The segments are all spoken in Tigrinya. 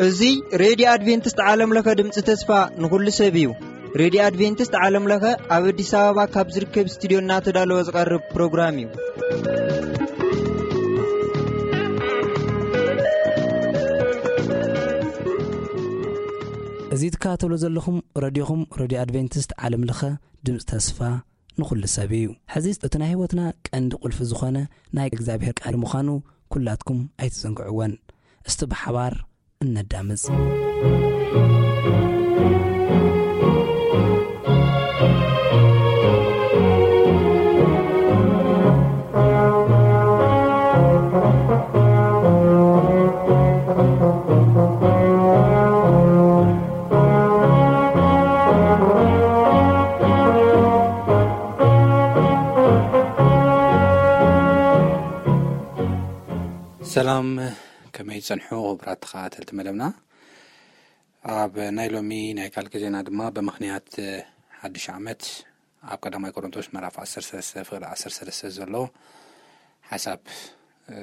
እዚ ሬድዮ ኣድቬንቲስት ዓለም ለኸ ድምፂ ተስፋ ንኹሉ ሰብ እዩ። ሬድዮ ኣድቬንቲስት ዓለም ለኸ ኣብ ኣዲስ ኣበባ ካብ ዝርከብ ስቱዲዮ እናተዳለወ ዝቐርብ ፕሮግራም እዩ። እዚ ትከታተሉ ዘለኹም ረድዮኹም ሬድዮ ኣድቬንቲስት ዓለም ለኸ ድምፂ ተስፋ ንኹሉ ሰብ እዩ። ሕዚ እቲ ናይ ህይወትና ቀንዲ ቁልፊ ዝኾነ ናይ እግዚኣብሔር ቃል ምዃኑ ኩላትኩም ኣይትዘንግዕወን። እስቲ ብሓባር እነዳምፅ። ሰላም፣ ከመይ ጸንሑ ክቡራት ተኸታተልቲ መደብና? ኣብ ናይ ሎሚ ናይ ቃል ግዜና ድማ ብምኽንያት ሓድሽ ዓመት ኣብ ቀዳማይ ቆሮንቶስ ምዕራፍ ዓሰርተ ሰለስተ ፍቕዲ ዓሰርተ ሰለስተ ዘሎ ሓሳብ፣ እ፣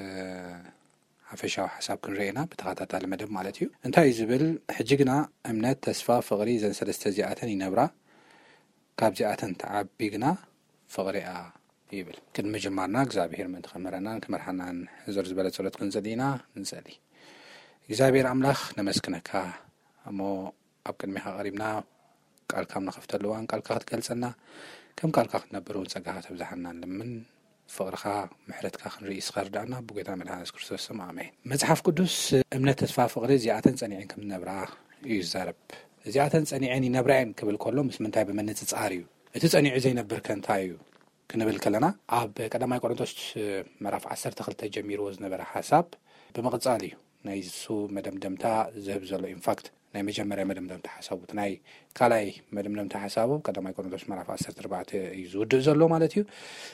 ሓፈሻዊ ሓሳብ ክንርኢ ኢና ብተኸታታሊ መደብ ማለት እዩ። እንታይ እዩ ዝብል? ሕጂ ግና እምነት፣ ተስፋ፣ ፍቕሪ፣ እዘን ሰለስተ እዚኣተን ይነብራ፣ ካብዚኣተን ትዓቢ ግና ፍቕሪ እያ ይብል። ቅድሚ ምጅማርና እግዚኣብሔር ምእንቲ ከምህረናን ክመርሓናን ሕዘር ዝበለ ጸሎት ክንጽሊ ኢና። ንጸሊ። እግዚኣብሔር ኣምላኽ ነመስግነካ እሞ ኣብ ቅድሚኻ ቀሪብና ቃልካ ኣብ ንኸፍተሉ እዋን ቃልካ ክትገልጸና ከም ቃልካ ክንነብር እውን ጸጋኻ ተብዝሓና ንልምን። ፍቕርኻ ምሕረትካ ክንርኢ ስኻ ርዳእና ብጎይታ መድሓን የሱስ ክርስቶስ ስም ኣሜን። መጽሓፍ ቅዱስ እምነት፣ ተስፋ፣ ፍቕሪ እዚኣተን ጸኒዐን ከም ዝነብራ እዩ ዝዛረብ። እዚኣተን ጸኒዐን ይነብራ እየን ክብል ከሎ ምስ ምንታይ ብምንጽጻር እዩ? እቲ ጸኒዑ ዘይነብር ከ እንታይ እዩ? ክንብል ከለና ኣብ ቀዳማይ ቆሮንቶስ ምዕራፍ ዓሰርተ ክልተ ጀሚርዎ ዝነበረ ሓሳብ ብምቕጻል እዩ ናይ እሱ መደምደምታ ዝህብ ዘሎ። ኢንፋክት ናይ መጀመርያ መደምደምታ ሓሳቡ፣ እቲ ናይ ካልኣይ መደምደምታ ሓሳቡ ቀዳማይ ቆሮንቶስ ምዕራፍ ዓሰርተ ኣርባዕተ እዩ ዝውድእ ዘሎ ማለት እዩ።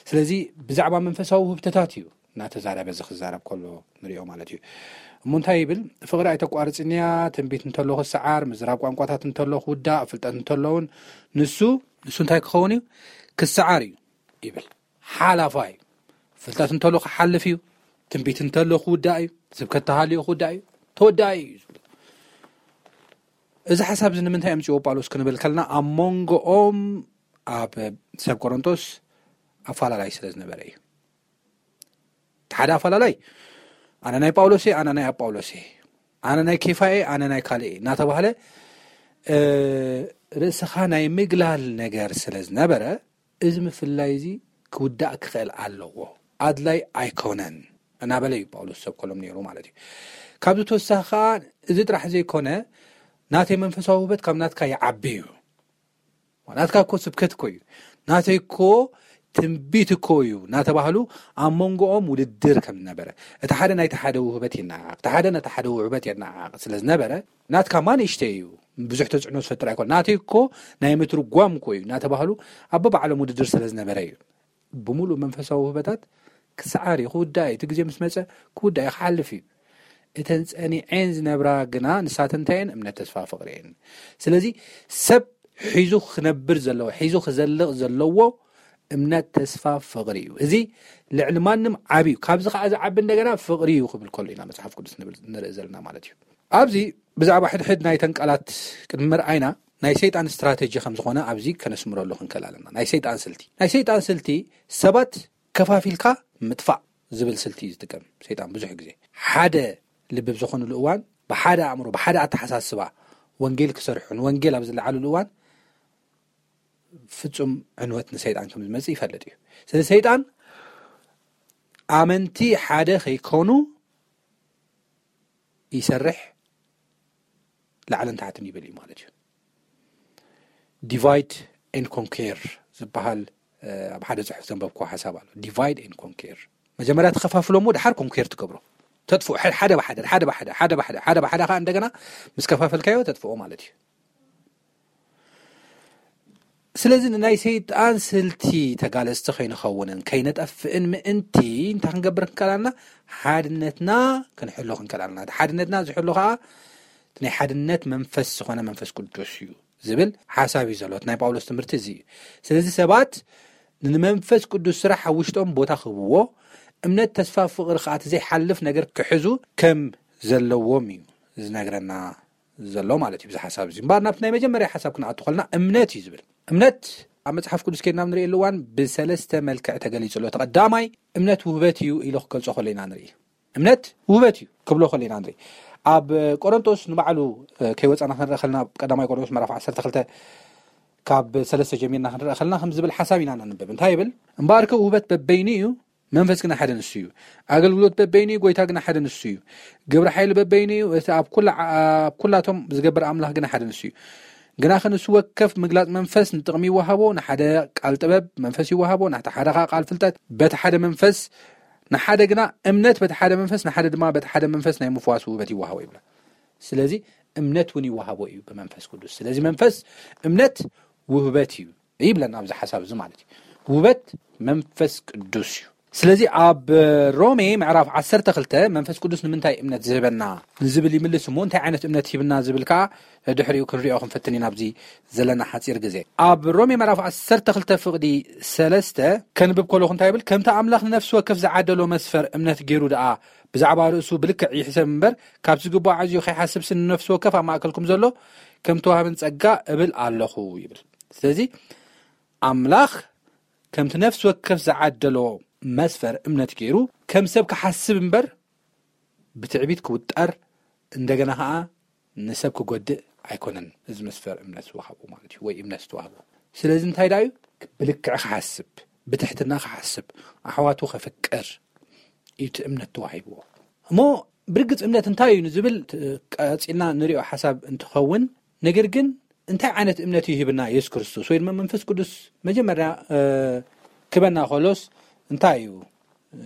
ስለዚ ብዛዕባ መንፈሳዊ ውህብተታት እዩ እናተዛረበ እዚ ክዛረብ ከሎ ንሪኦ ማለት እዩ። እሞ እንታይ ይብል? ፍቕሪ ኣይተቋርጽንያ፣ ትንቢት እንተሎ ክሰዓር፣ ምዝራብ ቋንቋታት እንተሎ ክውዳእ፣ ፍልጠት እንተሎ እውን ንሱ፣ ንሱ እንታይ ክኸውን እዩ? ክሰዓር እዩ ይብል። ሓላፋ እዩ። ፍልጠት እንተሎ ክሓልፍ እዩ። ትንቢት እንተሎ ክውዳእ እዩ። ስብከት ተሃልዮ ክውዳእ እዩ። ተወዳኢ እዩ ዝብል። እዚ ሓሳብ እዚ ንምንታይ ኣምፅዎ ጳውሎስ ክንብል ከለና ኣብ መንጎኦም ኣብ ሰብ ቆሮንቶስ ኣፋላላይ ስለ ዝነበረ እዩ። እቲ ሓደ ኣፋላላይ ኣነ ናይ ጳውሎስ እየ፣ ኣነ ናይ ኣጳውሎስ እየ፣ ኣነ ናይ ኬፋ እየ፣ ኣነ ናይ ካልእ እየ እናተባህለ፣ እ፣ ርእስኻ ናይ ምግላል ነገር ስለ ዝነበረ እዚ ምፍልላይ እዚ ክውዳእ ክኽእል ኣለዎ፣ ኣድላይ ኣይኮነን እናበለ እዩ ጳውሎስ ሰብ ኮሎም ነይሩ ማለት እዩ። ካብዚ ተወሳኺ ከዓ እዚ ጥራሕ ዘይኮነ ናተይ መንፈሳዊ ውህበት ካብ ናትካ ይዓቢ እዩ። ናትካ እኮ ስብከት እኮ እዩ፣ ናተይ እኮ ትንቢት እኮ እዩ እናተባህሉ ኣብ መንጎኦም ውድድር ከም ዝነበረ፣ እቲ ሓደ ናይቲ ሓደ ውህበት ይነዓቕ፣ እቲ ሓደ ነቲ ሓደ ውህበት የነዓቕ ስለ ዝነበረ፣ ናትካ ማ ንእሽተይ እዩ፣ ብዙሕ ተፅዕኖ ዝፈጥር ኣይኮን፣ ናተይ እኮ ናይ ምትርጓም እኮ እዩ እናተባህሉ ኣብ በባዕሎም ውድድር ስለ ዝነበረ እዩ። ብምሉእ መንፈሳዊ ውህበታት ክሰዓር እዩ፣ ክውዳእ እዩ፣ እቲ ግዜ ምስ መፀ ክውዳእ እዩ፣ ክሓልፍ እዩ። እተን ጸኒዐን ዝነብራ ግና ንሳተን እንታይ እየን? እምነት፣ ተስፋ፣ ፍቕሪ እየን። ስለዚ ሰብ ሒዙ ክነብር ዘለዎ፣ ሒዙ ክዘልቕ ዘለዎ እምነት፣ ተስፋ፣ ፍቕሪ እዩ። እዚ ልዕሊ ማንም ዓቢ እዩ። ካብዚ ከዓ ዝዓቢ እንደገና ፍቕሪ እዩ ክብል ከሎ ኢና መጽሓፍ ቅዱስ ንብል፣ ንርኢ ዘለና ማለት እዩ። ኣብዚ ብዛዕባ ሕድሕድ ናይተን ቃላት ቅድሚ ምርኣይና ናይ ሰይጣን ስትራተጂ ከም ዝኾነ ኣብዚ ከነስምረሉ ክንክእል ኣለና። ናይ ሰይጣን ስልቲ፣ ናይ ሰይጣን ስልቲ ሰባት ከፋፊልካ ምጥፋእ ዝብል ስልቲ እዩ ዝጥቀም ሰይጣን ብዙሕ ግዜ። ሓደ ልቢ ብዝኾኑሉ እዋን ብሓደ ኣእምሮ፣ ብሓደ ኣተሓሳስባ ወንጌል ክሰርሑ፣ ንወንጌል ኣብ ዝለዓሉሉ እዋን ፍጹም ዕንወት ንሰይጣን ከም ዝመጽእ ይፈልጥ እዩ። ስለዚ ሰይጣን ኣመንቲ ሓደ ከይኮኑ ይሰርሕ፣ ላዕልን ታሕትን ይብል እዩ ማለት እዩ። ዲቫይድ ኤንድ ኮንኬር ዝበሃል፣ እ፣ ኣብ ሓደ ጽሑፍ ዘንበብክዎ ሓሳብ ኣሎ። ዲቫይድ ኤንድ ኮንኬር። መጀመርያ ተኸፋፍሎ እሞ ድሓር ኮንኬር ትገብሮ። ተጥፍኦ፣ ሐ-፣ ሓደ ብሓደ፣ ሓደ ብሓደ፣ ሓደ ብሓደ፣ ሓደ ብሓደ ከዓ እንደገና ምስ ከፋፈልካዮ ተጥፍኦ ማለት እዩ። ስለዚ ንናይ ሰይጣን ስልቲ ተጋለጽቲ ከይንኸውንን ከይነጠፍእን ምእንቲ እንታይ ክንገብር ክንከላልና? ሓድነትና ክንሕሎ ክንከላልና። እቲ ሓድነትና ዝሕሎ ከዓ እቲ ናይ ሓድነት መንፈስ ዝኾነ መንፈስ ቅዱስ እዩ ዝብል ሓሳብ እዩ ዘሎ። እቲ ናይ ጳውሎስ ትምህርቲ እዚ እዩ። ስለዚ ሰባት ንመንፈስ ቅዱስ ስራሕ ኣብ ውሽጦም ቦታ ክህብዎ፣ እምነት፣ ተስፋ፣ ፍቕሪ ከኣ እቲ ዘይሓልፍ ነገር ክሕዙ ከም ዘለዎም እዩ ዝነግረና ዘሎ ማለት እዩ። ብዚ ሓሳብ እዚ እምበኣር ናብቲ ናይ መጀመርያ ሓሳብ ክንኣቱ ከለና እምነት እዩ ዝብል። እምነት ኣብ መጽሓፍ ቅዱስ ከይድና ንርእየሉ እዋን ብሰለስተ መልክዕ ተገሊጹ ኣሎ። እቲ ቀዳማይ እምነት ውህበት እዩ ኢሉ ክገልጾ ከሎ ኢና ንርኢ። እምነት ውህበት እዩ ክብሎ ከሎ ኢና ንርኢ። ኣብ ቆሮንቶስ ንባዕሉ ከይወጻና ክንረአ ከለና፣ ኣብ ቀዳማይ ቆሮንቶስ ምዕራፍ ዓሰርተ ክልተ ካብ ሰለስተ ጀሚርና ክንረአ ከለና ከም ዝብል ሓሳብ ኢና ነንብብ። እንታይ ይብል? እምበኣርከ ውህበት በበይኑ እዩ፣ መንፈስ ግና ሓደ ንሱ እዩ። ኣገልግሎት በበይኑ እዩ፣ ጎይታ ግና ሓደ ንሱ እዩ። ግብሪ ሓይሊ በበይኑ እዩ፣ እቲ ኣብ ኩላ ኣብ ኩላቶም ዝገብር ኣምላኽ ግና ሓደ ንሱ እዩ። ግናኸ ንሱ ወከፍ ምግላጽ መንፈስ ንጥቕሚ ይወሃቦ፣ ንሓደ ቃል ጥበብ መንፈስ ይወሃቦ፣ ናቲ ሓደ ኸኣ ቃል ፍልጠት በቲ ሓደ መንፈስ፣ ንሓደ ግና እምነት በቲ ሓደ መንፈስ፣ ንሓደ ድማ በቲ ሓደ መንፈስ ናይ ምፍዋስ ውህበት ይወሃቦ ይብላ። ስለዚ እምነት እውን ይወሃቦ እዩ ብመንፈስ ቅዱስ። ስለዚ መንፈስ እምነት ውህበት እዩ ይብለና ኣብዚ ሓሳብ እዚ ማለት እዩ። ውህበት መንፈስ ቅዱስ እዩ። ስለዚ ኣብ ሮሜ ምዕራፍ ዓሰርተ ክልተ መንፈስ ቅዱስ ንምንታይ እምነት ዝህበና ንዝብል ይምልስ እሞ፣ እንታይ ዓይነት እምነት ሂብና ዝብል ከኣ ድሕሪኡ ክንሪኦ ክንፈትን ኢና ኣብዚ ዘለና ሓጺር ግዜ። ኣብ ሮሜ ምዕራፍ ዓሰርተ ክልተ ፍቕዲ ሰለስተ ከንብብ ከለኹ እንታይ ይብል? ከምቲ ኣምላኽ ንነፍሲ ወከፍ ዝዓደሎ መስፈር እምነት ገይሩ ደኣ ብዛዕባ ርእሱ ብልክዕ ይሕሰብ እምበር፣ ካብ ዝግባእ ኣዕዝዩ ከይሓስብሲ ንነፍሲ ወከፍ ኣብ ማእከልኩም ዘሎ ከም ተዋህብን ጸጋ እብል ኣለኹ ይብል። ስለዚ ኣምላኽ ከምቲ ነፍሲ ወከፍ ዝዓደሎ መስፈር እምነት ገይሩ ከም ሰብ ክሓስብ እምበር ብትዕቢት ክውጠር እንደገና ኸዓ ንሰብ ክጎድእ ኣይኮነን። እዚ መስፈር እምነት ዝወሃቦ ማለት እዩ፣ ወይ እምነት ዝተዋህቦ። ስለዚ እንታይ ደኣ እዩ? ብልክዕ ክሓስብ፣ ብትሕትና ክሓስብ፣ ኣሕዋቱ ከፍቅር እዩ እቲ እምነት ተዋሂብዎ። እሞ ብርግጽ እምነት እንታይ እዩ ንዝብል ት-፣ ቀጺልና ንሪኦ ሓሳብ እንትኸውን፣ ነገር ግን እንታይ ዓይነት እምነት እዩ ሂብና የሱስ ክርስቶስ ወይ ድማ መንፈስ ቅዱስ መጀመርያ፣ እ፣ ክበና ከሎስ እንታይ እዩ፣ እ፣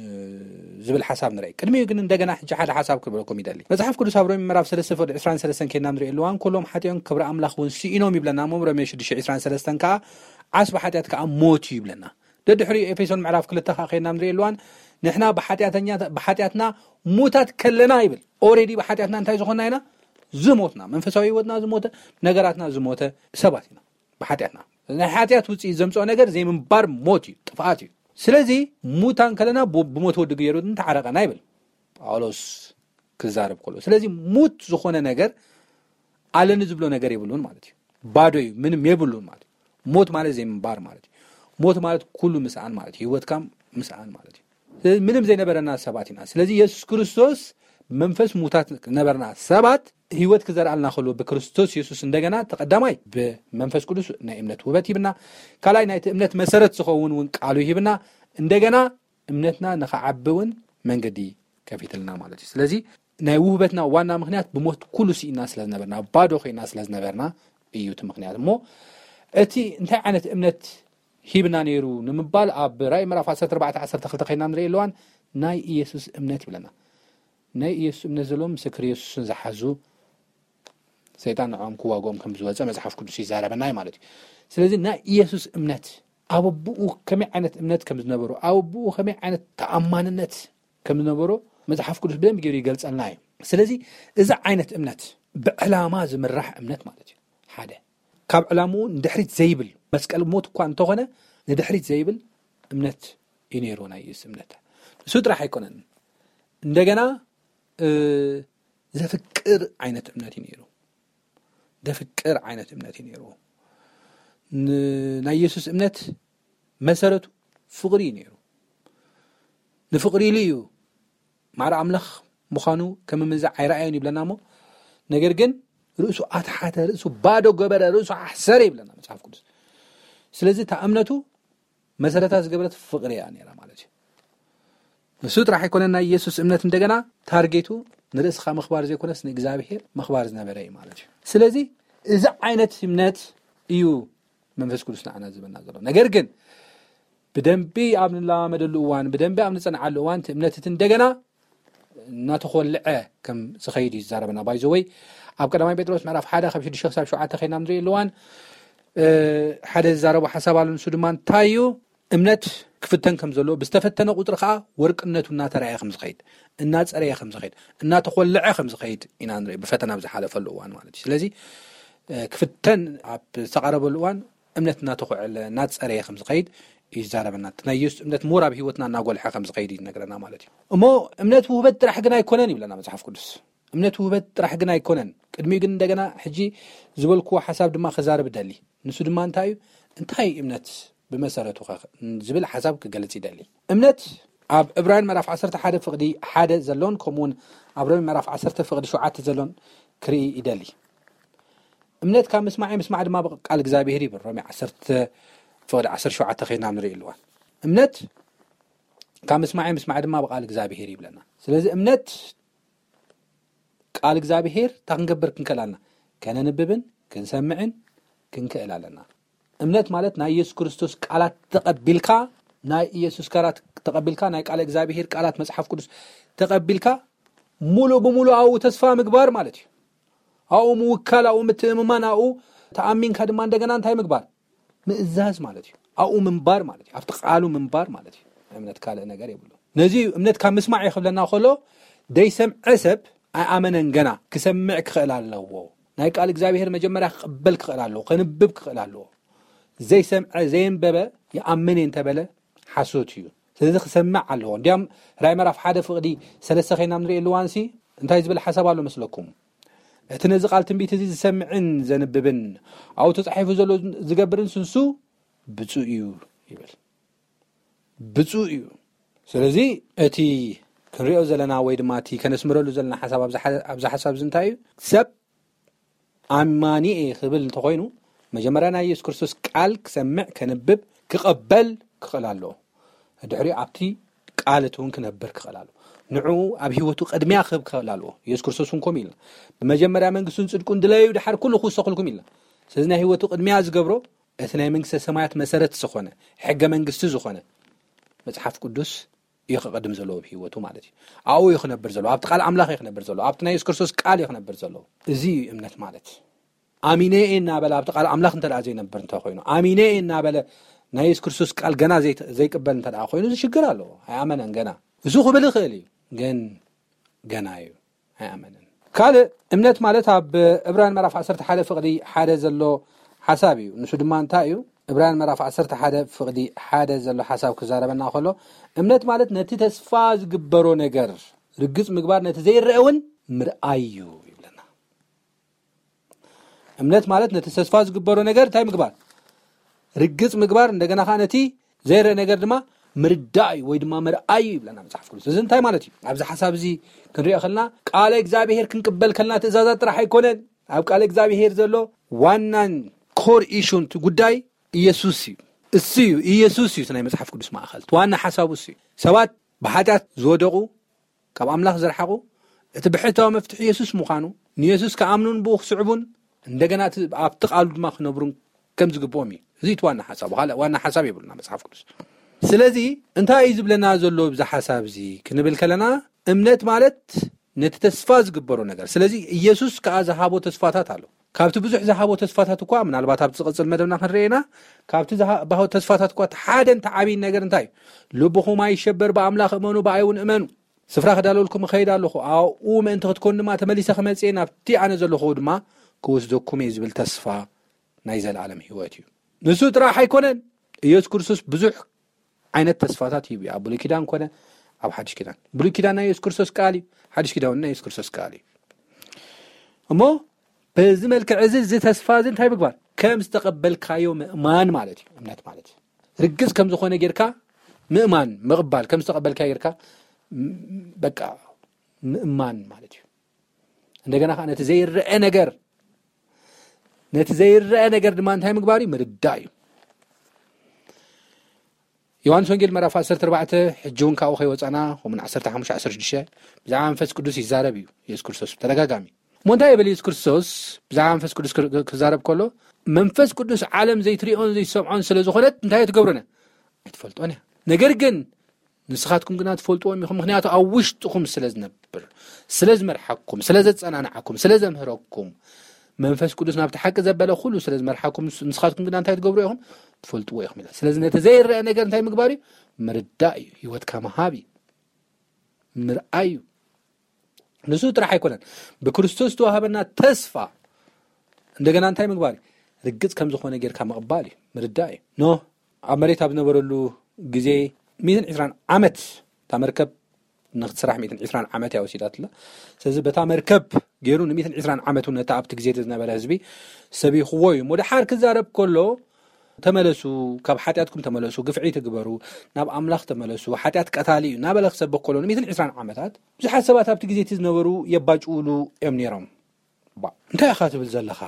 ዝብል ሓሳብ ንርኢ። ቅድሚኡ ግን እንደገና ሕጂ ሓደ ሓሳብ ክብለኩም ይደሊ። መጽሓፍ ቅዱስ ኣብ ሮሜ ምዕራፍ ሰለስተ ፍቕዲ ዕስራን ሰለስተን ከይድና ንሪኦ ኣለዋን፣ ኩሎም ሓጢኦም ክብሪ ኣምላኽ እውን ስኢኖም ይብለና። እሞ ሮሜ ሽዱሽተ ዕስራን ሰለስተን ከኣ ዓስቢ ሓጢኣት ከኣ ሞት እዩ ይብለና። ደድሕሪኡ ኤፌሶን ምዕራፍ ክልተ ከኣ ከይድና ንሪኦ ኣለዋን፣ ንሕና ብሓጢኣተኛ-፣ ብሓጢኣትና ሙታት ከለና ይብል። ኦሬዲ ብሓጢኣትና እንታይ ዝኾንና ኢና? ዝሞትና። መንፈሳዊ ህይወትና ዝሞተ፣ ነገራትና ዝሞተ ሰባት ኢና። ብሓጢኣትና። ናይ ሓጢኣት ውጽኢት ዘምጽኦ ነገር ዘይምንባር ሞት እዩ፣ ጥፍኣት እዩ። ስለዚ ሙታን ከለና ብ-፣ ብሞት ወዲ ገይሩ ተዓረቐና ይብል ጳውሎስ ክዛረብ ከሎ። ስለዚ ሙት ዝኾነ ነገር ኣለኒ ዝብሎ ነገር የብሉን ማለት እዩ። ባዶ እዩ፣ ምንም የብሉን ማለት እዩ። ሞት ማለት ዘይምንባር ማለት እዩ። ሞት ማለት ኩሉ ምስኣን ማለት እዩ። ህይወትካ ምስኣን ማለት እዩ። ስለዚ ምንም ዘይነበረና ሰባት ኢና። ስለዚ የሱስ ክርስቶስ መንፈስ ሙታት ነበርና ሰባት ህይወት ክዘርኣልና ከሎ ብክርስቶስ የሱስ እንደገና ተቐዳማይ ብመንፈስ ቅዱስ ናይ እምነት ውበት ሂብና፣ ካልኣይ ናይቲ እምነት መሰረት ዝኸውን እውን ቃሉ ሂብና፣ እንደገና እምነትና ንኸዓቢ እውን መንገዲ ከፊትልና ማለት እዩ። ስለዚ ናይ ውህበትና ዋና ምኽንያት ብሞት ኩሉ ስኢና ስለ ዝነበርና፣ ባዶ ኮይና ስለ ዝነበርና እዩ እቲ ምኽንያት። እሞ እቲ እንታይ ዓይነት እምነት ሂብና ነይሩ ንምባል ኣብ ራእይ ምዕራፍ ዓሰርተ ኣርባዕተ ዓሰርተ ክልተ ኮይና ንርኢ ኣለዋን ናይ ኢየሱስ እምነት ይብለና። ናይ ኢየሱስ እምነት ዘለዎም ምስክር ኢየሱስን ዝሓዙ ሰይጣን ንዕኦም ክዋግኦም ከም ዝወፀ መጽሓፍ ቅዱስ ይዛረበና እዩ ማለት እዩ። ስለዚ ናይ ኢየሱስ እምነት ኣብ ኣቦኡ ከመይ ዓይነት እምነት ከም ዝነበሮ፣ ኣብ ኣቦኡ ከመይ ዓይነት ተኣማንነት ከም ዝነበሮ መጽሓፍ ቅዱስ ብደንብ ገይሩ ይገልጸልና እዩ። ስለዚ እዚ ዓይነት እምነት ብዕላማ ዝምራሕ እምነት ማለት እዩ። ሓደ ካብ ዕላምኡ ንድሕሪት ዘይብል መስቀል ሞት እኳ እንተኾነ ንድሕሪት ዘይብል እምነት እዩ ነይሩ ናይ ኢየሱስ እምነት። ንሱ ጥራሕ ኣይኮነን፣ እንደገና፣ እ፣ ዘፍቅር ዓይነት እምነት እዩ ነይሩ። ዘፍቅር ዓይነት እምነት እዩ ነይሩ። ን-፣ ናይ ኢየሱስ እምነት መሰረቱ ፍቕሪ እዩ ነይሩ። ንፍቕሪ ኢሉ እዩ ማዕረ ኣምላኽ ምዃኑ ከም ምምንዛዕ ኣይረኣዮን ይብለና እሞ፣ ነገር ግን ርእሱ ኣትሓተ፣ ርእሱ ባዶ ገበረ፣ ርእሱ ኣሕሰረ ይብለና መጽሓፍ ቅዱስ። ስለዚ እታ እምነቱ መሰረታ ዝገበረት ፍቕሪ እያ ነይራ ማለት እዩ። ንሱ ጥራሕ ኣይኮነን ናይ ኢየሱስ እምነት እንደገና ታርጌቱ ንርእስኻ ምኽባር ዘይኮነስ ንእግዚኣብሔር ምኽባር ዝነበረ እዩ ማለት እዩ። ስለዚ እዚ ዓይነት እምነት እዩ መንፈስ ቅዱስ ንዓና ዝህበና ዘሎ። ነገር ግን ብደንቢ ኣብ ንለማመደሉ እዋን፣ ብደንቢ ኣብ ንጸንዓሉ እዋን እቲ እምነት እቲ እንደገና እናተኾልዐ ከም ዝኸይድ እዩ ዝዛረበና። ባይዘወይ ኣብ ቀዳማይ ጴጥሮስ ምዕራፍ ሓደ ካብ ሽዱሽተ ክሳብ ሸውዓተ ከይና ንርኢ ኣለዋን፣ እ፣ ሓደ ዝዛረቦ ሓሳብ ኣሎ። ንሱ ድማ እንታይ እዩ? እምነት ክፍተን ከም ዘሎ፣ ብዝተፈተነ ቁጽሪ ከኣ ወርቅነቱ እናተራእየ ከም ዝኸይድ፣ እናጸረየ ከም ዝኸይድ፣ እናተኾልዐ ከም ዝኸይድ ኢና ንርኢ፣ ብፈተና ኣብ ዝሓለፈሉ እዋን ማለት እዩ። ስለዚ፣ እ፣ ክፍተን ኣብ ዝተቓረበሉ እዋን እምነት እናተኾዕለ፣ እናጸረየ ከም ዝኸይድ ይዛረበና። እቲ ናይ ኢየሱስ እምነት ሞር ኣብ ህይወትና እናጎልሐ ከም ዝኸይድ ይነግረና ማለት እዩ። እሞ እምነት ውህበት ጥራሕ ግን ኣይኮነን ይብለና መጽሓፍ ቅዱስ። እምነት ውህበት ጥራሕ ግን ኣይኮነን። ቅድሚኡ ግን እንደገና ሕጂ ዝበልክዎ ሓሳብ ድማ ክዛረብ እደሊ። ንሱ ድማ እንታይ እዩ? እንታይ እምነት ብመሰረቱ ኸ ዝብል ሓሳብ ክገልጽ ይደሊ። እምነት ኣብ ዕብራውያን ምዕራፍ ዓሰርተ ሓደ ፍቕዲ ሓደ ዘሎን ከምኡ እውን ኣብ ሮሜ ምዕራፍ ዓሰርተ ፍቕዲ ሸውዓተ ዘሎን ክርኢ ይደሊ። እምነት ካብ ምስማዕ እዩ፣ ምስማዕ ድማ ብቃል እግዚኣብሔር ይብል። ሮሜ ዓሰርተ ፍቕዲ ዓሰርተ ሸውዓተ ኸይድና ንርኢ ኣለዋ። እምነት ካብ ምስማዕ እዩ፣ ምስማዕ ድማ ብቃል እግዚኣብሔር ይብለና። ስለዚ እምነት ቃል እግዚኣብሔር እንታይ ክንገብር ክንክእል ኣለና? ከነንብብን ክንሰምዕን ክንክእል ኣለና። እምነት ማለት ናይ ኢየሱስ ክርስቶስ ቃላት ተቐቢልካ፣ ናይ ኢየሱስ ቃላት ተቐቢልካ፣ ናይ ቃል እግዚኣብሔር ቃላት መጽሓፍ ቅዱስ ተቐቢልካ፣ ሙሉ ብሙሉ ኣብኡ ተስፋ ምግባር ማለት እዩ። ኣብኡ ምውካል፣ ኣብኡ ምትእምማን፣ ኣብኡ ተኣሚንካ ድማ እንደገና እንታይ ምግባር? ምእዛዝ ማለት እዩ። ኣብኡ ምንባር ማለት እዩ። ኣብቲ ቃሉ ምንባር ማለት እዩ። እምነት ካልእ ነገር የብሉ። ነዚ እዩ እምነት ካብ ምስማዕ እዩ ክብለና ከሎ፣ ዘይሰምዐ ሰብ ኣይኣመነን፣ ገና ክሰምዕ ክኽእል ኣለዎ። ናይ ቃል እግዚኣብሔር መጀመርያ ክቕበል ክኽእል ኣለዎ፣ ከንብብ ክኽእል ኣለዎ። ዘይሰምዐ፣ ዘየንበበ ይኣምን እየ እንተበለ ሓሶት እዩ። ስለዚ ክሰምዕ ኣለዎ። እንዲያም ራእይ ምዕራፍ ሓደ ፍቕዲ ሰለስተ ኸይና ንርኢ ኣለዋንሲ እንታይ ዝብል ሓሳብ ኣሎ መስለኩም? እቲ ነዚ ቃል ትንቢት እዚ ዝሰምዕን ዘንብብን ኣብኡ ተጻሒፉ ዘሎ ዝገብርን ስንሱ ብፁዕ እዩ ይብል። ብፁዕ እዩ። ስለዚ እቲ ክንሪኦ ዘለና ወይ ድማ እቲ ከነስምረሉ ዘለና ሓሳብ ኣብዚ ሓ-፣ ኣብዚ ሓሳብ እዚ እንታይ እዩ? ሰብ ኣማኒ እየ ክብል እንተኾይኑ መጀመርያ ናይ ኢየሱስ ክርስቶስ ቃል ክሰምዕ፣ ከንብብ፣ ክቐበል ክኽእል ኣለዎ። ድሕሪኡ ኣብቲ ቃል እቲ እውን ክነብር ክኽእል ኣለዎ። ንዕኡ ኣብ ህይወቱ ቅድሚያ ክህብ ክኽእል ኣለዎ። ኢየሱስ ክርስቶስ እውን ከምኡ ኢልና፣ ብመጀመርያ መንግስቱን ጽድቁን ድለዩ፣ ድሓር ኩሉ ክውሰኽልኩም ኢልና። ስለዚ ናይ ህይወቱ ቅድሚያ ዝገብሮ እቲ ናይ መንግስተ ሰማያት መሰረት ዝኾነ፣ ሕገ መንግስቲ ዝኾነ መጽሓፍ ቅዱስ እዩ ክቕድም ዘለዎ ኣብ ህይወቱ ማለት እዩ። ኣብኡ እዩ ክነብር ዘለዎ፣ ኣብቲ ቃል ኣምላኽ እዩ ክነብር ዘለዎ፣ ኣብቲ ናይ የሱስ ክርስቶስ ቃል እዩ ክነብር ዘለዎ። እዚ እዩ እምነት ማለት። ኣሚነ እየ እናበለ ኣብቲ ቃል ኣምላኽ እንተ ደኣ ዘይነብር እንተ ኮይኑ፣ ኣሚነ እየ እናበለ ናይ የሱስ ክርስቶስ ቃል ገና ዘይተ-፣ ዘይቅበል እንተ ደኣ ኮይኑ፣ እዚ ሽግር ኣለዎ። ኣይኣመነን ገና። እሱ ክብል ይኽእል እዩ፣ ግን ገና እዩ። ኣይኣመንን። ካልእ እምነት ማለት ኣብ ዕብራውያን ምዕራፍ ዓሰርተ ሓደ ፍቕዲ ሓደ ዘሎ ሓሳብ እዩ። ንሱ ድማ እንታይ እዩ? ዕብራውያን ምዕራፍ ዓሰርተ ሓደ ፍቕዲ ሓደ ዘሎ ሓሳብ ክዛረበና ከሎ፣ እምነት ማለት ነቲ ተስፋ ዝግበሮ ነገር ርግጽ ምግባር፣ ነቲ ዘይረአ እውን ምርኣይ እዩ ይብለና። እምነት ማለት ነቲ ተስፋ ዝግበሮ ነገር እንታይ ምግባር? ርግጽ ምግባር፣ እንደገና ኸዓ ነቲ ዘይረአ ነገር ድማ ምርዳእ እዩ ወይ ድማ ምርኣይ እዩ ይብለና መጽሓፍ ቅዱስ። እዚ እንታይ ማለት እዩ? ኣብዚ ሓሳብ እዚ ክንሪኦ ከለና፣ ቃለ እግዚኣብሔር ክንቅበል ከለና ትእዛዛት ጥራሕ ኣይኮነን። ኣብ ቃለ እግዚኣብሔር ዘሎ ዋናን ኮር ኢሹን እቲ ጉዳይ ኢየሱስ እዩ። እሱ እዩ፣ ኢየሱስ እዩ እቲ ናይ መጽሓፍ ቅዱስ ማእከል። እቲ ዋና ሓሳቡ እሱ እዩ። ሰባት ብሓጢኣት ዝወደቑ፣ ካብ ኣምላኽ ዝረሓቑ፣ እቲ ብሕታዊ መፍትሒ የሱስ ምዃኑ፣ ንየሱስ ክኣምኑን ብኡ ክስዕቡን፣ እንደገና እቲ ኣብቲ ቃሉ ድማ ክነብሩን ከም ዝግብኦም እዩ። እዚ እቲ ዋና ሓሳቡ። ካልእ ዋና ሓሳብ የብሉና መጽሓፍ ቅዱስ። ስለዚ እንታይ እዩ ዝብለና ዘሎ ብዚ ሓሳብ እዚ ክንብል ከለና፣ እምነት ማለት ነቲ ተስፋ ዝግበሮ ነገር። ስለዚ ኢየሱስ ከኣ ዝሃቦ ተስፋታት ኣሎ። ካብቲ ብዙሕ ዝሃቦ ተስፋታት እኳ፣ ምናልባት ኣብቲ ዝቕጽል መደብና ክንርኢ ኢና፣ ካብቲ ዝሃቦ ተስፋታት እኳ እቲ ሓደን እቲ ዓብይን ነገር እንታይ እዩ? ልብኹም ኣይሸበር፣ ብኣምላኽ እመኑ፣ ብኣይ እውን እመኑ። ስፍራ ክዳለወልኩም እኸይድ ኣለኹ፣ ኣብኡ ምእንቲ ክትኮኑ ድማ ተመሊሰ ክመጽእ እየ፣ ናብቲ ኣነ ዘለኹ ድማ ክወስደኩም እየ ዝብል ተስፋ ናይ ዘለኣለም ህይወት እዩ። ንሱ ጥራሕ ኣይኮነን፣ ኢየሱስ ክርስቶስ ብዙሕ ዓይነት ተስፋታት ሂቡ እዩ። ኣብ ብሉይ ኪዳን ኮነ ኣብ ሓድሽ ኪዳን። ብሉይ ኪዳን ናይ የሱስ ክርስቶስ ቃል እዩ፣ ሓድሽ ኪዳን ናይ የሱስ ክርስቶስ ቃል እዩ። እሞ በዚ መልክዕ እዚ፣ እዚ ተስፋ እዚ እንታይ ምግባር? ከም ዝተቐበልካዮ ምእማን ማለት እዩ። እምነት ማለት ርግጽ ከም ዝኾነ ጌርካ ምእማን፣ ምቕባል፣ ከም ዝተቐበልካዮ ጌርካ ም-፣ በቃ ምእማን ማለት እዩ። እንደገና ኸዓ ነቲ ዘይረአ ነገር፣ ነቲ ዘይረአ ነገር ድማ እንታይ ምግባር እዩ? ምርዳእ እዩ። ዮሃንስ ወንጌል ምዕራፍ ዓሰርተ ኣርባዕተ፣ ሕጂ እውን ካብኡ ከይወጻና፣ ከምኡን ዓሰርተ ሓሙሽተ፣ ዓሰርተ ሽዱሽተ፣ ብዛዕባ መንፈስ ቅዱስ ይዛረብ እዩ የሱስ ክርስቶስ ብተደጋጋሚ። እሞ እንታይ ይብል የሱስ ክርስቶስ ብዛዕባ መንፈስ ቅዱስ ክር-፣ ክዛረብ ከሎ? መንፈስ ቅዱስ ዓለም ዘይትሪኦን ዘይትሰምዖን ስለ ዝኾነት እንታይ ትገብሩነ? ኣይትፈልጦን እያ። ነገር ግን ንስኻትኩም ግና ትፈልጥዎም ኢኹም፣ ምኽንያቱ ኣብ ውሽጥኹም ስለ ዝነብር፣ ስለ ዝመርሓኩም፣ ስለ ዘጸናንዓኩም፣ ስለ ዘምህረኩም፣ መንፈስ ቅዱስ ናብቲ ሓቂ ዘበለ ኩሉ ስለ ዝመርሓኩም፣ ንስ-፣ ንስኻትኩም ግና እንታይ ትገብሩ ኢኹም? ትፈልጥዎ ኢኹም ይላል። ስለዚ ነቲ ዘይረአ ነገር እንታይ ምግባር እዩ? ምርዳእ እዩ። ህይወትካ ምሃብ እዩ። ምርኣይ እዩ። ንሱ ጥራሕ ኣይኮነን፣ ብክርስቶስ ዝተዋህበና ተስፋ እንደገና እንታይ ምግባር እዩ? ርግጽ ከም ዝኾነ ጌርካ ምቕባል እዩ፣ ምርዳእ እዩ። ኖህ ኣብ መሬት ኣብ ዝነበረሉ ግዜ ሚእትን ዕስራን ዓመት እታ መርከብ ንክትስራሕ ሚእትን ዕስራን ዓመት እያ ወሲዳትላ። ስለዚ በታ መርከብ ገይሩ ን ሚእትን ዕስራን ዓመት እውን ነቲ ኣብቲ ግዜ ዝነበረ ህዝቢ ሰቢኽዎ እዩ። እሞ ደሓር ክዛረብ ከሎ፣ "ተመለሱ፣ ካብ ሓጢኣትኩም ተመለሱ፣ ግፍዒ ትግበሩ፣ ናብ ኣምላኽ ተመለሱ፣ ሓጢኣት ቀታሊ እዩ" እናበለ ክሰብኽ ከሎ ን ሚእትን ዕስራን ዓመታት ብዙሓት ሰባት ኣብቲ ግዜ እቲ ዝነበሩ የባጭውሉ እዮም ነይሮም። ባ እንታይ ኢኻ ትብል ዘለኻ?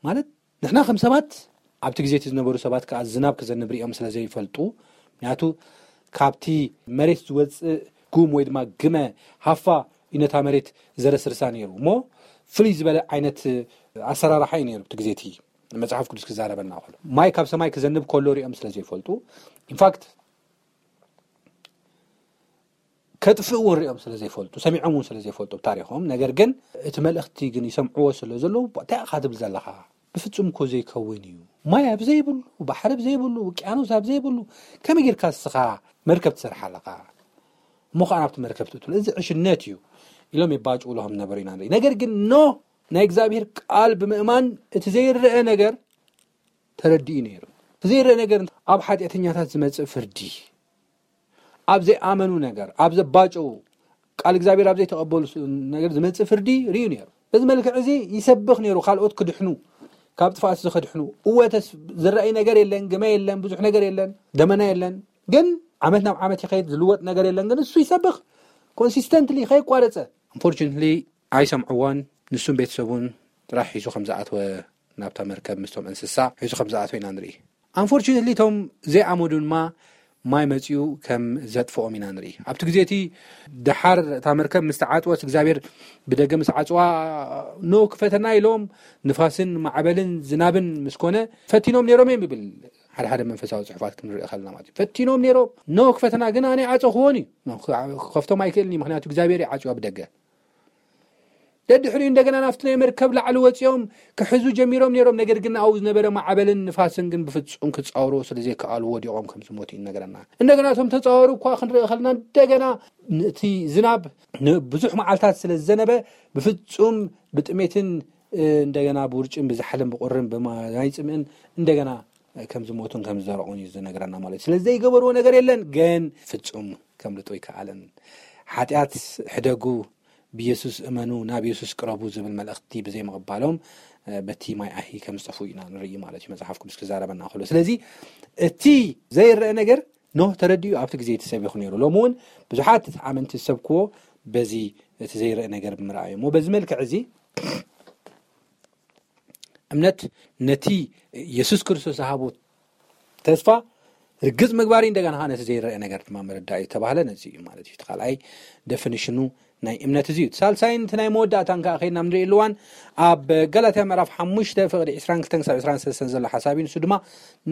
ማለት ንሕና ከም ሰባት ኣብቲ ግዜ እቲ ዝነበሩ ሰባት ከኣ ዝናብ ክዘንብ ሪኦም ስለ ዘይፈልጡ፣ ምክንያቱ ካብቲ መሬት ዝወጽእ ጉም ወይ ድማ ግመ ሃፋ እዩ ነታ መሬት ዘረስርሳ ነይሩ። እሞ ፍልይ ዝበለ ዓይነት ኣሰራርሓ እዩ ነይሩ። ኣብቲ ግዜ እቲ መጽሓፍ ቅዱስ ክዛረበና ከሎ፣ ማይ ካብ ሰማይ ክዘንብ ከሎ ሪኦም ስለ ዘይፈልጡ፣ ኢንፋክት ከጥፍእዎ ሪኦም ስለ ዘይፈልጡ፣ ሰሚዖም እውን ስለ ዘይፈልጡ ታሪኾም፣ ነገር ግን እቲ መልእኽቲ ግን ይሰምዕዎ ስለ ዘለዉ፣ "እንታይ ኢኻ ትብል ዘለኻ? ብፍጹም እኮ ዘይከውን እዩ። ማይ ኣብ ዘይብሉ፣ ባሕሪ ኣብ ዘይብሉ፣ ውቅያኖስ ኣብ ዘይብሉ፣ ከመይ ጌርካ እስኻ መርከብ ትሰርሕ ኣለኻ? እሞ ኸዓ ናብቲ መርከብ ትእትሉ፣ እዚ ዕሽነት እዩ" ኢሎም የባጭውሉ ከም ዝነበሩ ኢና ንርኢ። ነገር ግን ኖህ ናይ እግዚኣብሔር ቃል ብምእማን እቲ ዘይረአ ነገር ተረዲኡ ነይሩ። እቲ ዘይረአ ነገር ኣብ ሓጢኣተኛታት ዝመጽእ ፍርዲ፣ ኣብ ዘይኣመኑ ነገር፣ ኣብ ዘባጨው፣ ቃል እግዚኣብሔር ኣብ ዘይተቐበሉ ስ-፣ ነገር ዝመጽእ ፍርዲ ርእዩ ነይሩ። በዚ መልክዕ እዚ ይሰብኽ ነይሩ፣ ካልኦት ክድሕኑ፣ ካብ ጥፍኣት እዚ ክድሕኑ። እወ፣ ተስ-፣ ዝረኣይ ነገር የለን፣ ግመ የለን፣ ብዙሕ ነገር የለን፣ ደመና የለን። ግን ዓመት ናብ ዓመት ይኸይድ፣ ዝልወጥ ነገር የለን። ግን እሱ ይሰብኽ፣ ኮንሲስተንትሊ፣ ከየቋረጸ። Unfortunately፣ ኣይሰምዕዎን። ንሱን ቤተሰቡን ጥራሕ ሒዙ ከም ዝኣተወ፣ ናብታ መርከብ ምስቶም እንስሳ ሒዙ ከም ዝኣተወ ኢና ንርኢ። Unfortunately፣ እቶም ዘይኣመኑ ድማ ማይ መጺኡ ከም ዘጥፍኦም ኢና ንርኢ። ኣብቲ ግዜ እቲ ደሓር እታ መርከብ ምስ ተዓጽወት፣ እግዚኣብሔር ብደገ ምስ ዓጽዋ፣ "ኖህ ክፈተና" ኢሎም፣ ንፋስን ማዕበልን ዝናብን ምስ ኮነ፣ ፈቲኖም ነይሮም እዮም ይብል ሓደ ሓደ መንፈሳዊ ጽሑፋት ክንርኢ ከለና ማለት እዩ። ፈቲኖም ነይሮም፣ "ኖህ ክፈተና" ግን ኣነ ይዓጸኽዎን እዩ። ኖህ ክኸፍቶም ኣይክእልን እዩ፣ ምኽንያቱ እግዚኣብሔር ይዓጽዋ ብደገ። ደድሕሪኡ እንደገና ናብቲ ናይ መርከብ ላዕሊ ወጺኦም ክሕዙ ጀሚሮም ነይሮም። ነገር ግን ኣብኡ ዝነበረ ማዕበልን ንፋስን ግን ብፍጹም ክጻወርዎ ስለ ዘይከኣሉ ወዲቖም ከም ዝሞቱ ይነገረና። እንደገና እቶም ተጻወሩ እኳ ክንርኢ ከለና፣ እንደገና እቲ ዝናብ ንብዙሕ መዓልታት ስለ ዝዘነበ፣ ብፍጹም ብጥሜትን፣ እ፣ እንደገና ብውርጭን ብዛሕልን ብቑርን ብማይ ጽምእን እንደገና ከም ዝሞቱን ከም ዝደረቑን እዩ ዝነግረና ማለት እዩ። ስለ ዘይገበርዎ ነገር የለን፣ ግን ፍጹም ከምልጡ ኣይከኣለን። ሓጢኣት ሕደጉ፣ ብየሱስ እመኑ፣ ናብ የሱስ ቅረቡ ዝብል መልእኽቲ ብዘይምቕባሎም፣ እ፣ በቲ ማይ ኣሂ ከም ዝጠፍኡ ኢና ንርኢ ማለት እዩ፣ መጽሓፍ ቅዱስ ክዛረበና ከሎ። ስለዚ እቲ ዘይረአ ነገር ኖህ ተረዲኡ ኣብቲ ግዜ እቲ ሰቢኹ ነይሩ። ሎሚ እውን ብዙሓት ኣመንቲ ዝሰብክዎ በዚ እቲ ዘይረአ ነገር ብምርኣዩ። እሞ በዚ መልክዕ እዚ እምነት ነቲ የሱስ ክርስቶስ ዝሃቦ ተስፋ ርግጽ ምግባር እዩ፣ እንደገና ከኣ ነቲ ዘይረአ ነገር ድማ ምርዳእ እዩ ዝተባህለ ነዚ እዩ ማለት እዩ። እቲ ካልኣይ ደፊኒሽኑ ናይ እምነት እዚ እዩ። እቲ ሳልሳይን እቲ ናይ መወዳእታን ከኣ ከይድና ንርኢ ኣለዋን ኣብ ገላትያ ምዕራፍ ሓሙሽተ ፍቕዲ ዕስራን ክልተን ክሳብ ዕስራን ሰለስተን ዘሎ ሓሳብ እዩ። ንሱ ድማ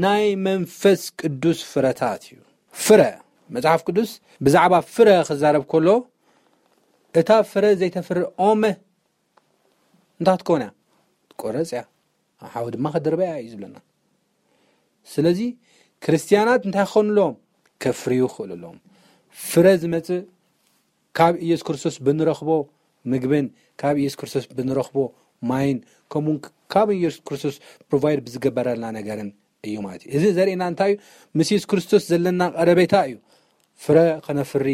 ናይ መንፈስ ቅዱስ ፍረታት እዩ። ፍረ፣ መጽሓፍ ቅዱስ ብዛዕባ ፍረ ክዛረብ ከሎ፣ "እታ ፍረ ዘይተፍርእ ኦም እንታይ ክትከውን እያ? ትቆረጽ እያ፣ ኣብ ሓዊ ድማ ክድርበያ" እዩ ዝብለና። ስለዚ ክርስትያናት እንታይ ክኾኑ ኣለዎም? ከፍርዩ ክኽእሉ ኣለዎም። ፍረ ዝመጽእ ካብ ኢየሱስ ክርስቶስ ብንረኽቦ ምግብን ካብ ኢየሱስ ክርስቶስ ብንረኽቦ ማይን፣ ከምኡውን ካብ ኢየሱስ ክርስቶስ ፕሮቫይድ ብዝገበረልና ነገርን እዩ ማለት እዩ። እዚ ዘርእየና እንታይ እዩ? ምስ የሱስ ክርስቶስ ዘለና ቀረቤታ እዩ። ፍረ ከነፍሪ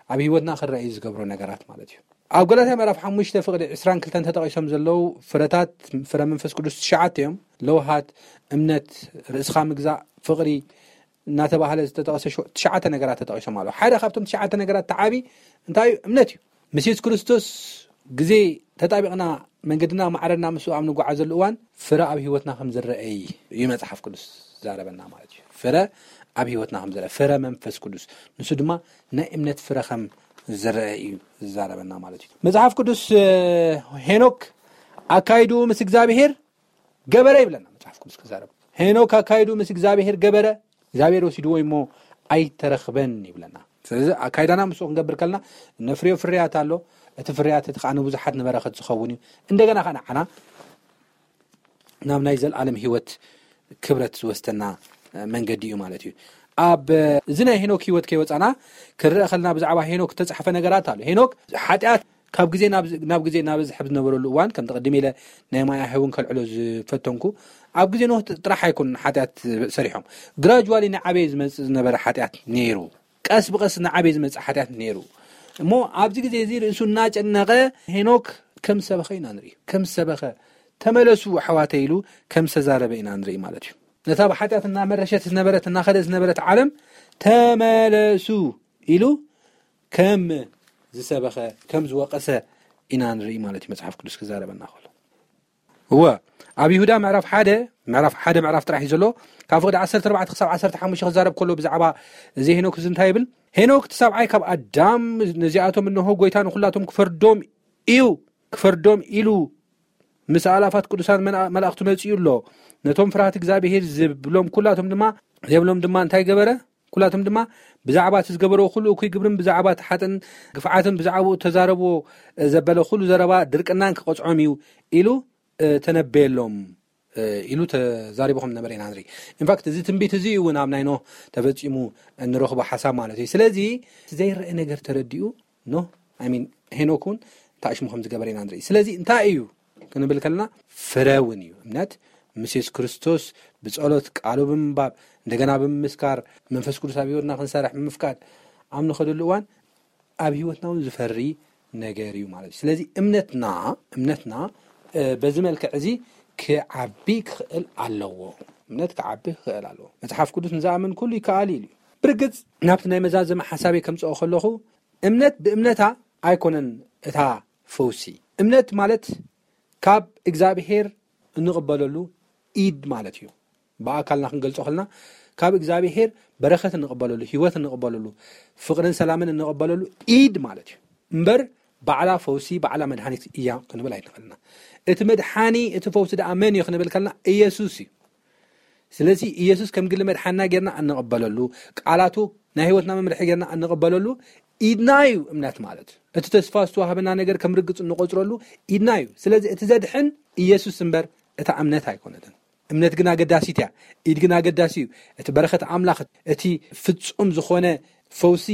ኣብ ህይወትና ክረኣዩ ዝገብሮ ነገራት ማለት እዩ። ኣብ ገላትያ ምዕራፍ ሓሙሽተ ፍቕዲ ዕስራን ክልተን ተጠቒሶም ዘለዉ ፍረታት፣ ፍረ መንፈስ ቅዱስ ትሽዓተ እዮም። ለውሃት፣ እምነት፣ ርእስኻ ምግዛእ፣ ፍቕሪ እናተባህለ ዝተጠቐሰ ሸ-፣ ትሽዓተ ነገራት ተጠቒሶም ኣለዉ። ሓደ ካብቶም ትሽዓተ ነገራት እቲ ዓቢ እንታይ እዩ? እምነት እዩ። ምስ የሱስ ክርስቶስ ግዜ ተጣቢቕና መንገድና ማዕረና ምስኡ ኣብ ንጓዓዘሉ እዋን ፍረ ኣብ ህይወትና ከም ዝረኣይ እዩ መጽሓፍ ቅዱስ ዝዛረበና ማለት እዩ። ፍረ ኣብ ህይወትና ከም ዝረአ፣ ፍረ መንፈስ ቅዱስ፣ ንሱ ድማ ናይ እምነት ፍረ ከም ዝረአ እዩ ዝዛረበና ማለት እዩ። መጽሓፍ ቅዱስ፣ እ፣ ሄኖክ ኣካይድኡ ምስ እግዚኣብሄር ገበረ ይብለና መጽሓፍ ቅዱስ ክዛረብ። ሄኖክ ኣካይድኡ ምስ እግዚኣብሄር ገበረ፣ እግዚኣብሄር ወሲድዎ እሞ ኣይተረኽበን ይብለና። ስለዚ ኣካይዳና ምስኡ ክንገብር ከለና ነፍርዮ ፍርያት ኣሎ። እቲ ፍርያት እቲ ከኣ ንብዙሓት ንበረኸት ዝኸውን እዩ። እንደገና ከኣ ንዓና ናብ ናይ ዘልኣለም ህይወት ክብረት ዝወስደና መንገዲ እዩ ማለት እዩ። ኣብ እዚ ናይ ሄኖክ ህይወት ከይወጻና ክንርአ ከለና ብዛዕባ ሄኖክ ዝተጻሕፈ ነገራት ኣሎ። ሄኖክ ሓጢኣት ካብ ግዜ ናብ ናብ ግዜ እናበዝሐ ብዝነበረሉ እዋን፣ ከም ተቐድሜ ኢለ ናይ ማያ ህውን ከልዕሎ ዝፈተንኩ፣ ኣብ ግዜ ኖህ ጥራሕ ኣይኮኑን ሓጢኣት ሰሪሖም። ግራጅዋሊ እናዓበየ ዝመጽእ ዝነበረ ሓጢኣት ነይሩ። ቀስ ብቐስ እናዓበየ ዝመጽእ ሓጢኣት ነይሩ። እሞ ኣብዚ ግዜ እዚ ርእሱ እናጨነቐ ሄኖክ ከም ዝሰበኸ ኢና ንርኢ። ከም ዝሰበኸ፣ "ተመለሱ ኣሕዋተ" ኢሉ ከም ዝተዛረበ ኢና ንርኢ ማለት እዩ። ነታ ብሓጢኣት እናመረሸት ዝነበረት፣ እናኸደት ዝነበረት ዓለም "ተመለሱ" ኢሉ ከም ዝሰበኸ፣ ከም ዝወቐሰ ኢና ንርኢ ማለት እዩ፣ መጽሓፍ ቅዱስ ክዛረበና ከሎ። እወ፣ ኣብ ይሁዳ ምዕራፍ ሓደ፣ ምዕራፍ ሓደ ምዕራፍ ጥራሕ እዩ ዘሎ። ካብ ፍቕዲ ዓሰርተ ኣርባዕተ ክሳብ ዓሰርተ ሓሙሽተ ክዛረብ ከሎ ብዛዕባ እዚ ሄኖክ እዚ እንታይ ይብል? "ሄኖክ እቲ ሰብዓይ ካብ ኣዳም፣ ነዚኣቶም እንሆ ጎይታ ንኹላቶም ክፈርዶም እዩ፣ ክፈርዶም ኢሉ ምስ ኣእላፋት ቅዱሳን መና-፣ መላእኽቱ መጺኡ ኣሎ። ነቶም ፍርሃት እግዚኣብሄር ዝብሎም ኩላቶም ድማ፣ ዘይብሎም ድማ እንታይ ገበረ? ኩላቶም ድማ ብዛዕባ እቲ ዝገበርዎ ኩሉ እኩይ ግብርን ብዛዕባ እቲ ሓጥን ግፍዓትን ብዛዕባኡ እተዛረብዎ ዘበለ ኩሉ ዘረባ ድርቅናን ክቐጽዖም እዩ" ኢሉ፣ እ፣ ተነበየሎም፣ እ፣ ኢሉ ተዛሪቡ ከም ዝነበረ ኢና ንርኢ። ኢንፋክት፣ እዚ ትንቢት እዚ እውን ኣብ ናይ ኖህ ተፈጺሙ እንረኽቦ ሓሳብ ማለት እዩ። ስለዚ፣ እቲ ዘይረአ ነገር ተረዲኡ ኖህ፣ ኣይ ሚን፣ ሄኖክ እውን እንታይ ሽሙ ከም ዝገበረ ኢና ንርኢ። ስለዚ፣ እንታይ እዩ ክንብል ከለና፣ ፍረ እውን እዩ። እምነት ምስ የሱስ ክርስቶስ ብጸሎት፣ ቃሉ ብምንባብ፣ እንደገና ብምምስካር፣ መንፈስ ቅዱስ ኣብ ህይወትና ክንሰርሕ ብምፍቃድ፣ ኣብ ንኸደሉ እዋን ኣብ ህይወትና እውን ዝፈሪ ነገር እዩ ማለት እዩ። ስለዚ እምነትና፣ እምነትና፣ እ፣ በዚ መልክዕ እዚ ክዓቢ ክኽእል ኣለዎ። እምነት ክዓቢ ክኽእል ኣለዎ። መጽሓፍ ቅዱስ "ንዝኣምን ኩሉ ይከኣል" ኢሉ እዩ። ብርግጽ ናብቲ ናይ መዛዘሚ ሓሳበይ ከምጽኦ ከለኹ፣ እምነት ብእምነታ ኣይኮነን እታ ፈውሲ። እምነት ማለት ካብ እግዚኣብሄር እንቕበለሉ ኢድ ማለት እዩ። ብኣካልና ክንገልጾ ከለና፣ ካብ እግዚኣብሄር በረኸት እንቕበለሉ፣ ህይወት እንቕበለሉ፣ ፍቕርን ሰላምን እንቕበለሉ ኢድ ማለት እዩ። እምበር ባዕላ ፈውሲ፣ ባዕላ መድሃኒት እያ ክንብል ኣይንኽእልና። እቲ መድሓኒ፣ እቲ ፈውሲ ደኣ መን እዩ ክንብል ከለና፣ ኢየሱስ እዩ። ስለዚ ኢየሱስ ከም ግሊ መድሓንና ጌርና እንቕበለሉ፣ ቃላቱ ናይ ህይወትና መምርሒ ጌርና እንቕበለሉ ኢድና እዩ እምነት ማለት። እቲ ተስፋ ዝተዋህበና ነገር ከም ርግጽ እንቆጽረሉ ኢድና እዩ። ስለዚ እቲ ዘድሕን ኢየሱስ እምበር እታ እምነት ኣይኮነትን። እምነት ግን ኣገዳሲት እያ። ኢድ ግን ኣገዳሲ እዩ። እቲ በረኸት ኣምላኽ፣ እቲ ፍጹም ዝኾነ ፈውሲ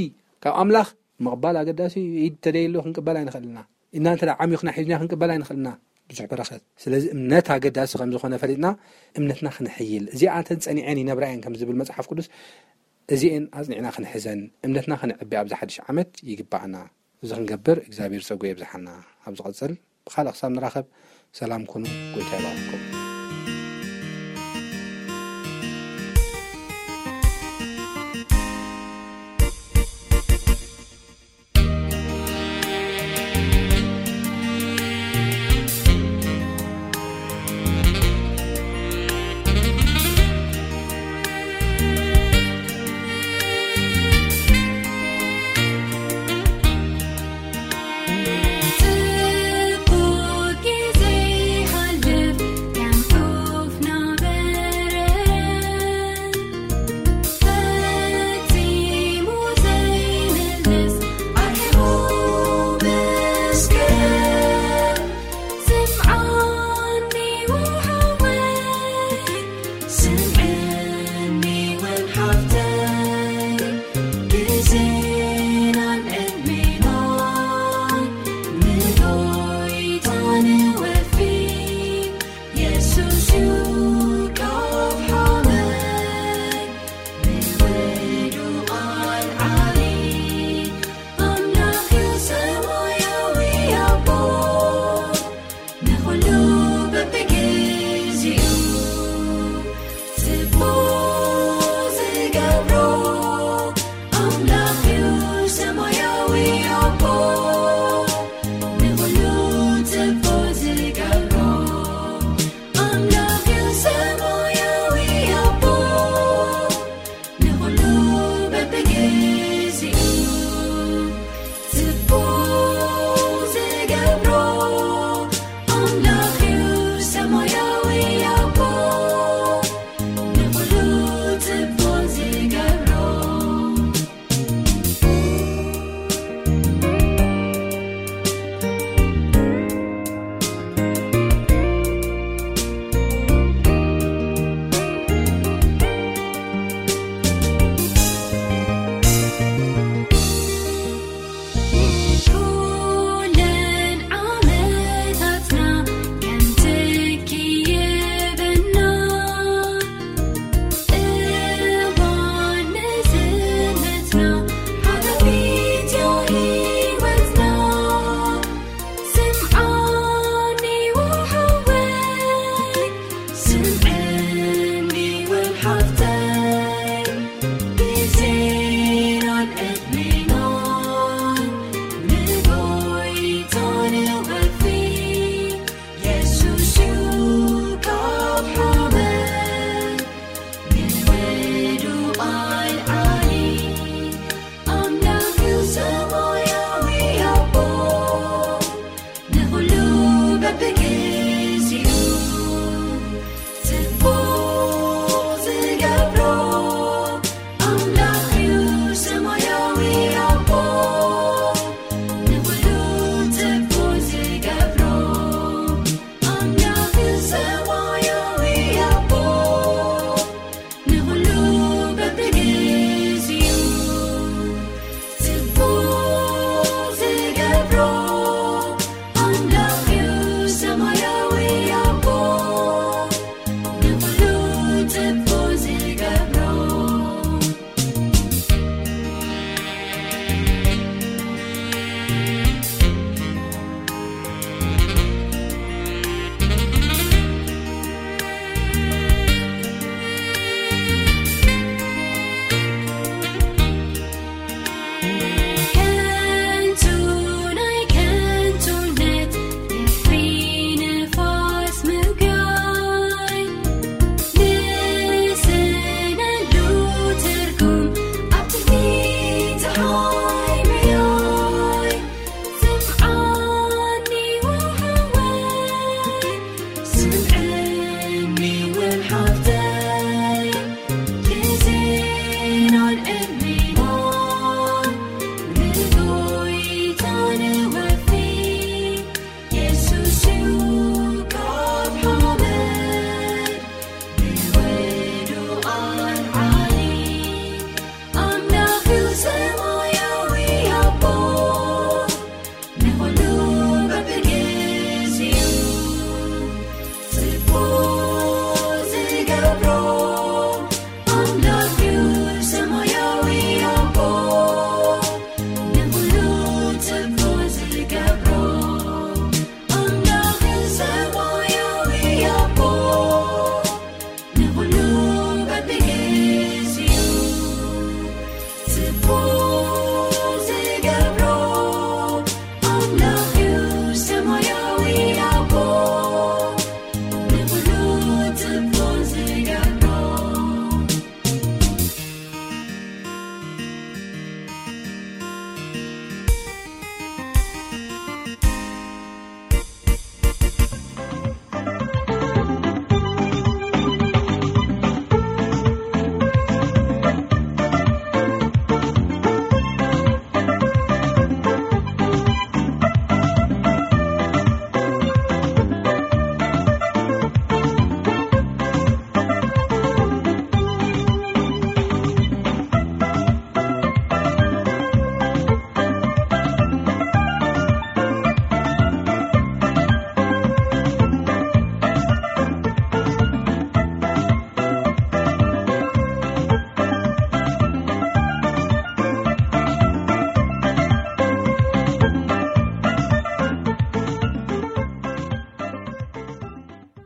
ካብ ኣምላኽ ምቕባል ኣገዳሲ እዩ። ኢድ ተደይሎ ክንቅበል ኣይንኽእልና። ኢድና እንተ ደኣ ዓሚኹና ሒዝና ክንቅበል ኣይንኽእልና ብዙሕ በረኸት። ስለዚ እምነት ኣገዳሲ ከም ዝኾነ ፈሊጥና እምነትና ክነሕይል። "እዚኣተን ጸኒዐን ይነብራ እየን" ከም ዝብል መጽሓፍ ቅዱስ፣ እዚኤን ኣጽኒዕና ክንሕዘን፣ እምነትና ክነዕቢ ኣብዚ ሓድሽ ዓመት ይግባኣና። እዚ ክንገብር እግዚኣብሔር ጸጉ የብዝሓና። ኣብ ዝቐጽል ብኻልእ ክሳብ ንራኸብ ሰላም ኩኑ። ጎይታ ይባርኩም።